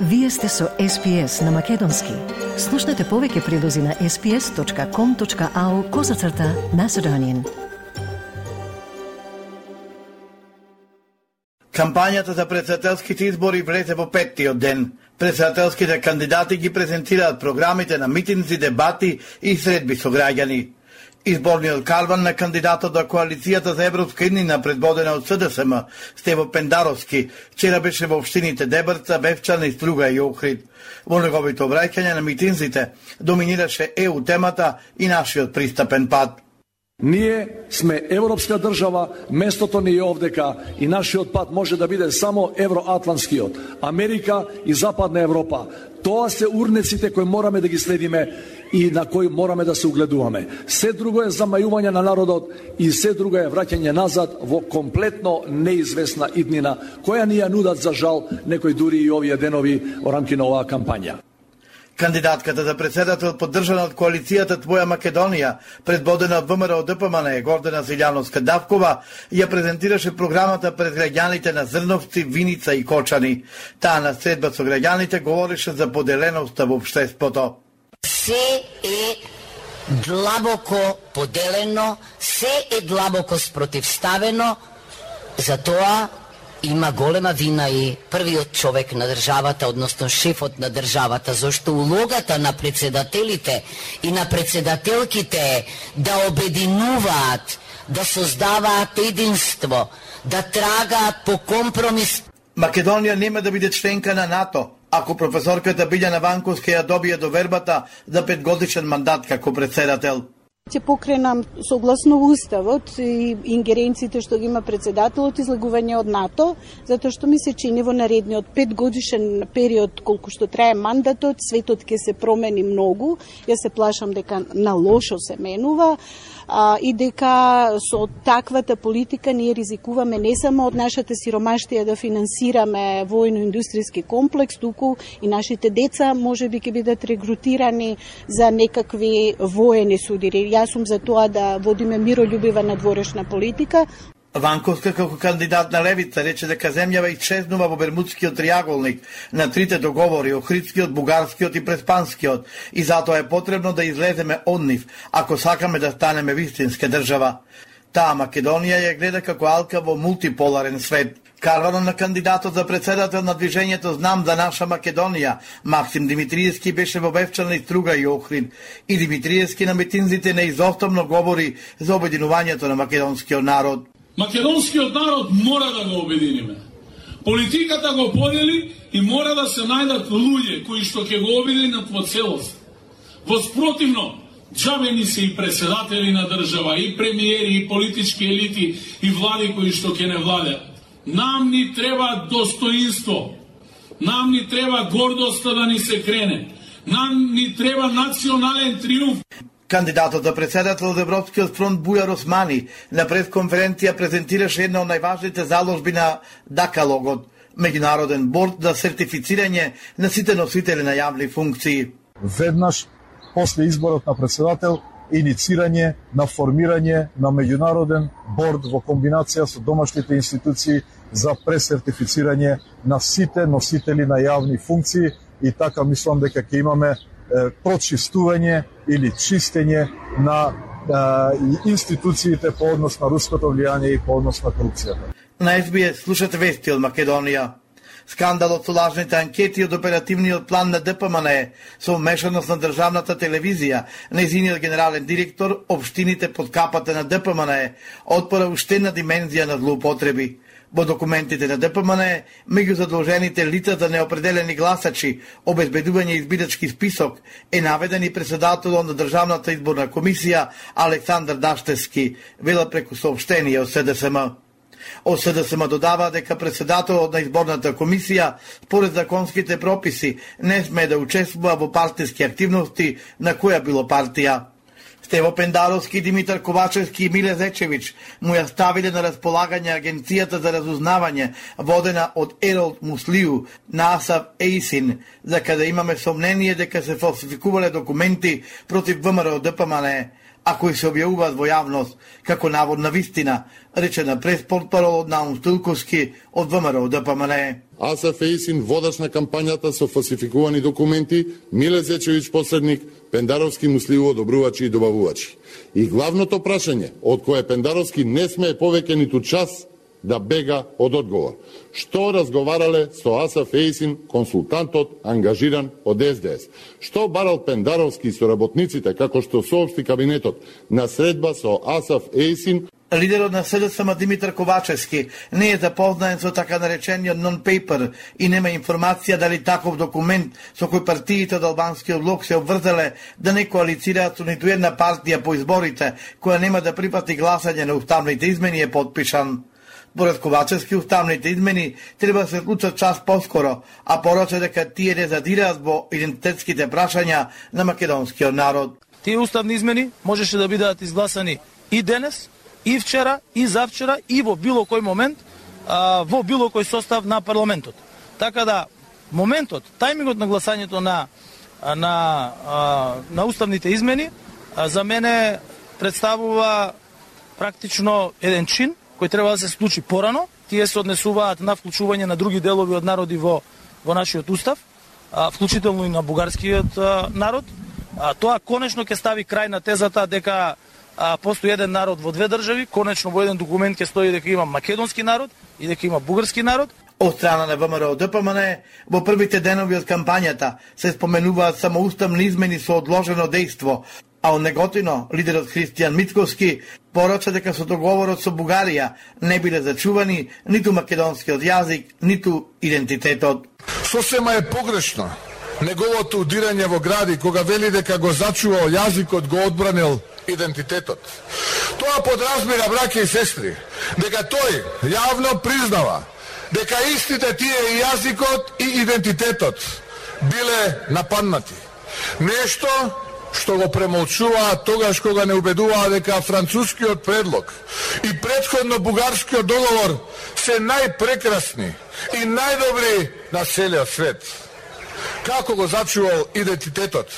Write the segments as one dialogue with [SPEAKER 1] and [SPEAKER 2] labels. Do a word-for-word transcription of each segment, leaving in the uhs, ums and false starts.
[SPEAKER 1] Вие сте со Ес Би Ес на Македонски. Слушнете повеќе прилози на ес би ес точка ком точка ау козацрта Macedonian.
[SPEAKER 2] Кампањата за претседателските избори влезе во петтиот ден. Претседателските кандидати ги презентираат програмите на митинзи, дебати и средби со граѓани. Изборниот карван на кандидатот на коалицијата за европска иднина, предводена од Се Де Се Ем, Стево Пендаровски, вчера беше во општините Дебрца, Бевчана и Струга и Охрид. Во неговите обраќања на митинзите доминираше Е У темата и нашиот пристапен пат.
[SPEAKER 3] Ние сме европска држава, местото ни е овдека и нашиот пат може да биде само евроатлантскиот, Америка и Западна Европа. Тоа се урнеците кои мораме да ги следиме и на кои мораме да се угледуваме. Се друго е замајување на народот и се друго е враќање назад во комплетно неизвестна иднина, која ни ја нудат за жал некои дури и овие денови во рамки на оваа кампања.
[SPEAKER 2] Кандидатката за председател, поддржана од коалицијата Твоја Македонија, предводена од Вэ Ем Р О Д П М Н, Гордана Зиљановска-Давкова, ја презентираше програмата пред граѓаните на Зрновци, Виница и Кочани. Таа на средба со граѓаните говореше за поделеноста во општеството.
[SPEAKER 4] Се е длабоко поделено, се е длабоко спротивставено, затоа има голема вина и првиот човек на државата, односно шефот на државата, зашто улогата на председателите и на председателките е да обединуваат, да создаваат единство, да трагаат по компромис.
[SPEAKER 2] Македонија нема да биде членка на НАТО, ако професорката Билјана Ванковска ја добие довербата за петгодишен мандат како председател.
[SPEAKER 5] Ќе покренам согласно Уставот и ингеренциите што ги има председателот излагување од НАТО, затоа што ми се чини во наредниот петгодишен период колку што трае мандатот, светот ќе се промени многу. Јас се плашам дека на лошо се менува. А, и дека со таквата политика ние ризикуваме не само од нашата сиромаштија да финансираме војно-индустријски комплекс, туку и нашите деца можеби ќе бидат регрутирани за некакви воени судири. Јас сум за тоа да водиме миролюбива надворешна политика.
[SPEAKER 2] Ванковска како кандидат на левица рече дека земјава исчезнува во Бермудскиот триаголник на трите договори, Охридскиот, Бугарскиот и Преспанскиот, и затоа е потребно да излеземе од нив, ако сакаме да станеме вистинска држава. Таа Македонија ја гледа како алка во мултиполарен свет. Карванот на кандидатот за председател на движењето Знам за наша Македонија, Максим Димитриевски, беше во Бевчана и Струга и Охрид, и Димитриевски на митинзите неизоставно говори за обединувањето на македонскиот народ.
[SPEAKER 6] Македонскиот народ мора да го обединиме. Политиката го подели и мора да се најдат луѓе кои што ќе го обединат во целост. Во спротивно, џабе ни се и председатели на држава, и премиери, и политички елити, и влади кои што ќе не владеат. Нам ни треба достоинство. Нам ни треба гордоста да ни се крене. Нам ни треба национален триумф.
[SPEAKER 2] Кандидатот за председател од Европскиот фронт Бујар Османи на пресконференција презентираше една од најважните заложби на Дакалогот, меѓународен борд за сертифицирање на сите носители на јавни функции.
[SPEAKER 7] Веднаш после изборот на председател, иницирање на формирање на меѓународен борд во комбинација со домашните институции за пресертифицирање на сите носители на јавни функции, и така мислам дека ќе имаме прочистување или чистење на е, институциите по однос на руското влијание и по однос на корупцијата.
[SPEAKER 2] На Ес Би Ес слушате вести од Македонија. Скандалот со лажните анкети од оперативниот план на Д П М Н со вмешаност на државната телевизија, нејзиниот генерален директор, општините под капата на Д П М Н отпора уште една димензија на злоупотреби. Во документите на Д П М Н, меѓу задолжените лица за неопределени гласачи, обезбедување избирачки список, е наведен и председателот на Државната изборна комисија Александар Даштевски, вела преку соопштение од Се Де Се Ем. Од Се Де Се Ем додава дека председателот на изборната комисија, според законските прописи, не сме да учествува во партиски активности на која било партија. Стево Пендаровски, Димитар Ковачевски и Миле Зечевич му ја ставиле на располагање Агенцијата за разузнавање, водена од Еролд Муслиу на Асав Ейсин, за каде имаме сомнение дека се фалсификувале документи против Вэ Ем Р О Д П М Н. а кои се објавуваат во јавност како наводна вистина, рече на преспортпаролот Наум Стилковски од ВМРО Д П М Н.
[SPEAKER 8] Аса Фејсин, водач на кампањата со фалсификувани документи, Миле Зечевиќ посредник, Пендаровски мусливо одобрувачи и добавувачи. И главното прашање, од кое Пендаровски не смее повеќе ниту час да бега од одговор. Што разговарале со Аса Фејсин, консултантот ангажиран од С Д С? Што барал Пендаровски со работниците, како што соопшти кабинетот, на средба со Аса Фејсин?
[SPEAKER 2] Лидерот на С Д С М Димитар Ковачевски не е запознаен со така наречениот нон-пейпер и нема информација дали таков документ со кој партиите од албанскиот блок се обврзале да не коалицираат со ниту една партија по изборите која нема да припати гласање на уставните измени е подпишан. Според Ковачевски, уставните измени треба да се случат час поскоро, а порача дека тие не задираат во идентитетските прашања на македонскиот народ.
[SPEAKER 9] Тие уставни измени можеше да бидат изгласани и денес, и вчера, и завчера, и во било кој момент, а, во било кој состав на парламентот. Така да, моментот, тајмингот на гласањето на, на, а, на уставните измени, а, за мене представува практично еден чин, кој треба да се случи порано. Тие се однесуваат на вклучување на други делови од народи во, во нашиот устав, а, вклучително и на бугарскиот а, народ. А, тоа конечно ќе стави крај на тезата дека а, постои еден народ во две држави. Конечно во еден документ ќе стои дека има македонски народ и дека има бугарски народ.
[SPEAKER 2] Од страна на ВМРО Д П М Н, во првите денови од кампањата се споменуваат само уставни измени со одложено дејство, а од Неготино, лидерот Христијан Мицковски порача дека со договорот со Бугарија не биле зачувани ниту македонскиот јазик, ниту идентитетот.
[SPEAKER 10] Сосема е погрешно неговото удирање во гради кога вели дека го зачувал јазикот, го одбранил идентитетот. Тоа подразбира, браќа и сестри, дека тој јавно признава дека истите тие јазикот и идентитетот биле нападнати. Нешто што го премолчуваа тогаш кога не убедуваа дека францускиот предлог и претходно бугарскиот договор се најпрекрасни и најдобри на целиот свет. Како го зачувал идентитетот,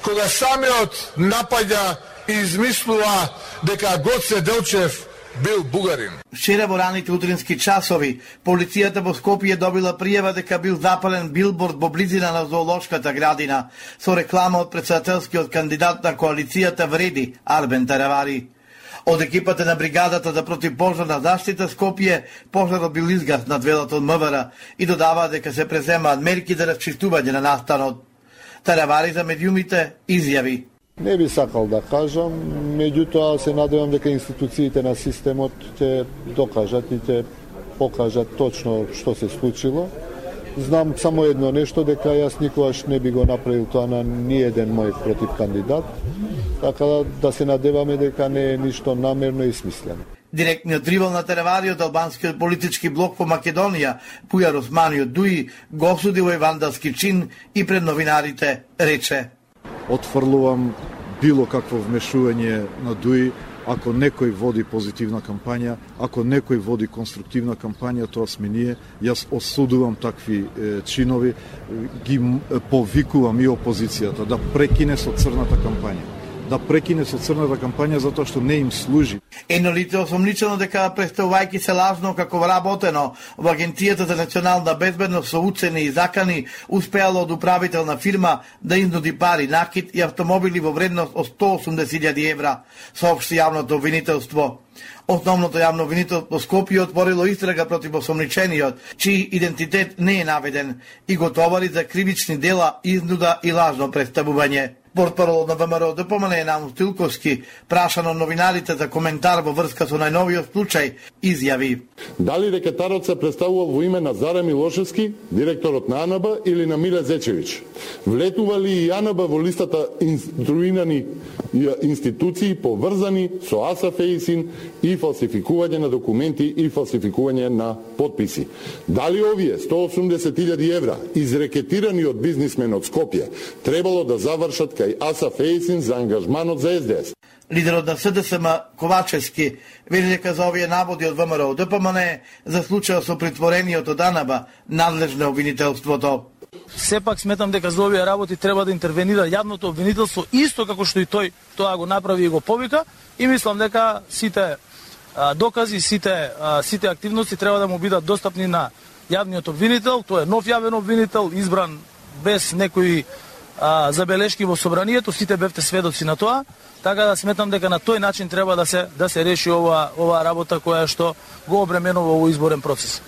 [SPEAKER 10] кога самиот напаѓа и измислува дека Гоце Делчев бил бугарин.
[SPEAKER 2] Вчера во раните утрински часови, полицијата во Скопје добила пријава дека бил запален билборд во близина на зоолошката градина со реклама од претседателскиот кандидат на коалицијата Вреди, Арбен Таравари. Од екипата на бригадата за противпожарна заштита Скопје, пожарот бил изгаснат велат од М В Р и додава дека се преземаат мерки за расчистување на настанот. Таравари за медиумите изјави:
[SPEAKER 11] Не би сакал да кажам, меѓутоа се надевам дека институциите на системот ќе докажат и ќе покажат точно што се случило. Знам само едно нешто, дека јас никогаш не би го направил тоа на ни еден мој против кандидат, така да, да се надеваме дека не е ништо намерно и смислено.
[SPEAKER 2] Директниот ривал на Таравари од албанскиот политички блок по Македонија, Пујар Османиот Дуи, го осуди во вандалски чин и пред новинарите рече:
[SPEAKER 7] Отфрлувам било какво вмешување на Дуи. Ако некој води позитивна кампања, ако некој води конструктивна кампања, тоа сме ние. Јас осудувам такви е, чинови, ги повикувам и опозицијата да прекине со црната кампања. Да прекине со црната кампања затоа што не им служи.
[SPEAKER 2] Едно лице осомничено дека представувајќи се лажно како вработено во Агенцијата за национална безбедност со уцени и закани, успеало од управителна фирма да изнуди пари, накид и автомобили во вредност од сто осумдесет илјади евра, соопшти јавното обвинителство. Основното јавно обвинителство Скопје отворило истрага против осомничениот, чиј идентитет не е наведен, и го товари за кривични дела, изнуда и лажно представување. Портпаролот на ВМРО Д П М Н Наум Стилковски, прашан од новинарите за коментар во врска со најновиот случај, изјави:
[SPEAKER 8] Дали рекетарот се представувал во име на Заре Милошевски, директорот на А Н Б, или на Миле Зечевиќ? Влетува ли и А Н Б во листата инструирани институции поврзани со Аса Фејсин и фалсификување на документи и фалсификување на подписи? Дали овие сто осумдесет илјади евра, изрекетирани од бизнисмен од Скопје, требало да завршат кај Аса Фејсин за ангажманот за С Д С?
[SPEAKER 2] Лидерот на С Д С М Ковачевски вели дека за овие наводи од ВМРО Д П М Н за случајот со притворениот од А Н Б надлежно обвинителството.
[SPEAKER 9] сепак сметам дека за овие работи треба да интервенира јавното обвинителство исто како што и тој тоа го направи и го повика, и мислам дека сите а, докази, сите а, сите активности треба да му бидат достапни на јавниот обвинител. Тој е нов јавен обвинител, избран без некои а, забелешки во собранието, сите бевте сведоци на тоа, така да сметам дека на тој начин треба да се да се реши ова ова работа која што го обременува овој изборен процес.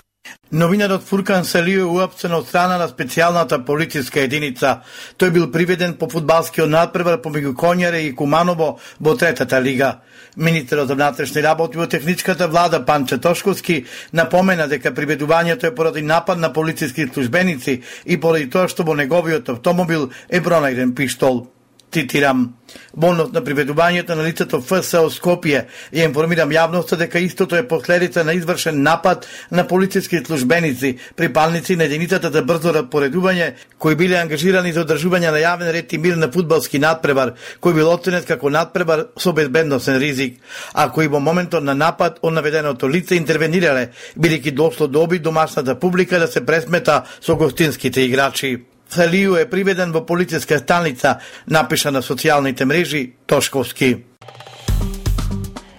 [SPEAKER 2] Новинарот Фуркан Салију е уапсен од страна на специјалната полициска единица. Тој бил приведен по фудбалскиот надпревар помеѓу Конјаре и Куманово во третата лига. Министерот за внатрешни работи во техничката влада Панче Тошковски напомена дека приведувањето е поради напад на полициски службеници и поради тоа што во неговиот автомобил е пронајден пиштол. Цитирам: во однос на приведувањето на лицето ФСО Скопје, ја информирам јавноста дека истото е последица на извршен напад на полициски службеници, припалници на единицата за брзо распоредување, кои биле ангажирани за одржување на јавен ред и мир на фудбалски надпревар, кој бил оценет како надпревар со безбедносен ризик, а кои во моментот на напад од наведеното лице интервенирале, бидејќи дошло до обид домашната публика да се пресмета со гостинските играчи. Салију е приведен во полициска станица, напиша на социјалните мрежи Тошковски.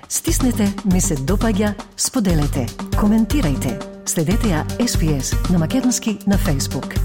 [SPEAKER 1] Стиснете, ми се допаѓа, споделете, коментирајте. Следете ја Ес Би Ес на македонски на Facebook.